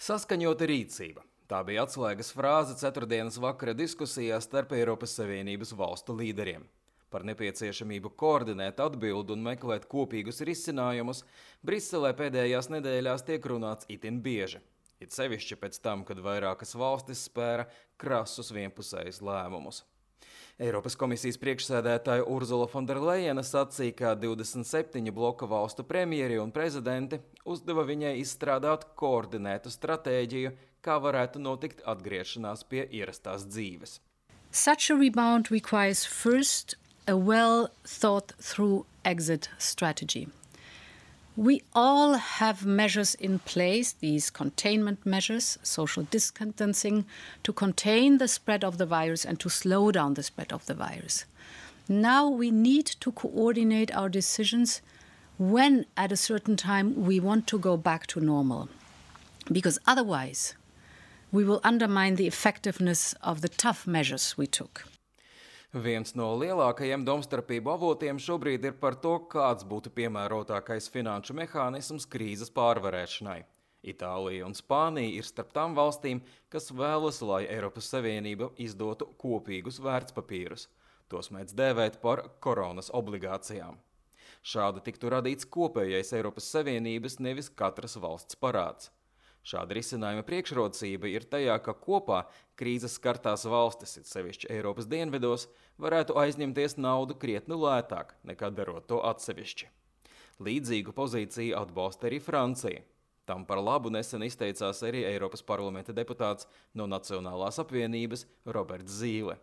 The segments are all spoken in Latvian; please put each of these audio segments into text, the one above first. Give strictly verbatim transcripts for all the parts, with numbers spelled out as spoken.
Saskaņota rīcība. Tā bija atslēgas frāze ceturtdienas vakara diskusijās starp Eiropas Savienības valstu līderiem. Par nepieciešamību koordinēt atbildi un meklēt kopīgus risinājumus Briselē pēdējās nedēļās tiek runāts itin bieži. It sevišķi pēc tam, kad vairākas valstis spēra krasus vienpusējus lēmumus. Eiropas komisijas priekšsēdētāja Urzula Fonderlejena sacīja, ka divdesmit septiņu bloka valstu premjeri un prezidenti uzdeva viņai izstrādāt koordinētu stratēģiju, kā varētu notikt atgriešanās pie ierastās dzīves. Such a rebound requires first a well thought through exit strategy. We all have measures in place, these containment measures, social distancing, to contain the spread of the virus and to slow down the spread of the virus. Now we need to coordinate our decisions when at a certain time we want to go back to normal, because otherwise we will undermine the effectiveness of the tough measures we took. Viens no lielākajiem domstarpību avotiem šobrīd ir par to, kāds būtu piemērotākais finanšu mehānisms krīzes pārvarēšanai. Itālija un Spānija ir starp tām valstīm, kas vēlas, lai Eiropas Savienība izdotu kopīgus vērtspapīrus. Tos mēdz dēvēt par koronas obligācijām. Šādi tiktu radīts kopējais Eiropas Savienības, nevis katras valsts parāds. Šāda risinājuma priekšrocība ir tajā, ka kopā krīzes skartās valstis, it sevišķi Eiropas dienvidos, varētu aizņemties naudu krietni lētāk, nekā darot to atsevišķi. Līdzīgu pozīciju atbalsta arī Francija. Tam par labu nesen izteicās arī Eiropas parlamenta deputāts no Nacionālās apvienības Roberts Zīle.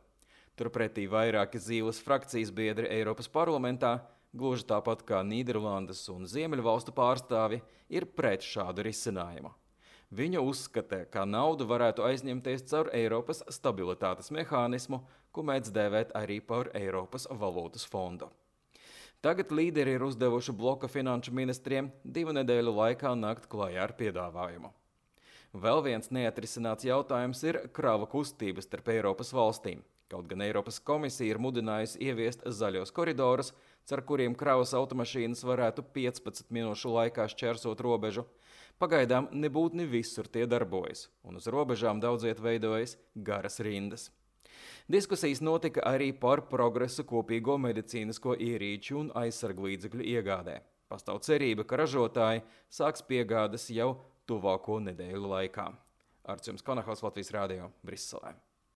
Turpretī vairāki Zīles frakcijas biedri Eiropas parlamentā, gluži tāpat kā Nīderlandes un Ziemeļvalstu pārstāvi, ir pret šādu risinājumu. Viņa uzskata, ka naudu varētu aizņemties caur Eiropas stabilitātes mehānismu, ko mēdz dēvēt arī par Eiropas valūtas fondu. Tagad līderi ir uzdevuši bloka finanšu ministriem divu nedēļu laikā nākt klajā ar piedāvājumu. Vēl viens neatrisināts jautājums ir krava kustības starp Eiropas valstīm. Kaut gan Eiropas komisija ir mudinājusi ieviest zaļos koridorus, caur kuriem kravas automašīnas varētu piecpadsmit minūšu laikā šķērsot robežu, pagaidām nebūtni visur tie darbojas, un uz robežām daudziet veidojas garas rindas. Diskusijas notika arī par progresu kopīgo medicīnisko ierīču un aizsarglīdzekļu iegādē. Pastāv cerība, ka ražotāji sāks piegādes jau tuvāko nedēļu laikā. Arts jums Konahaus, Latvijas Rādio, Briselē.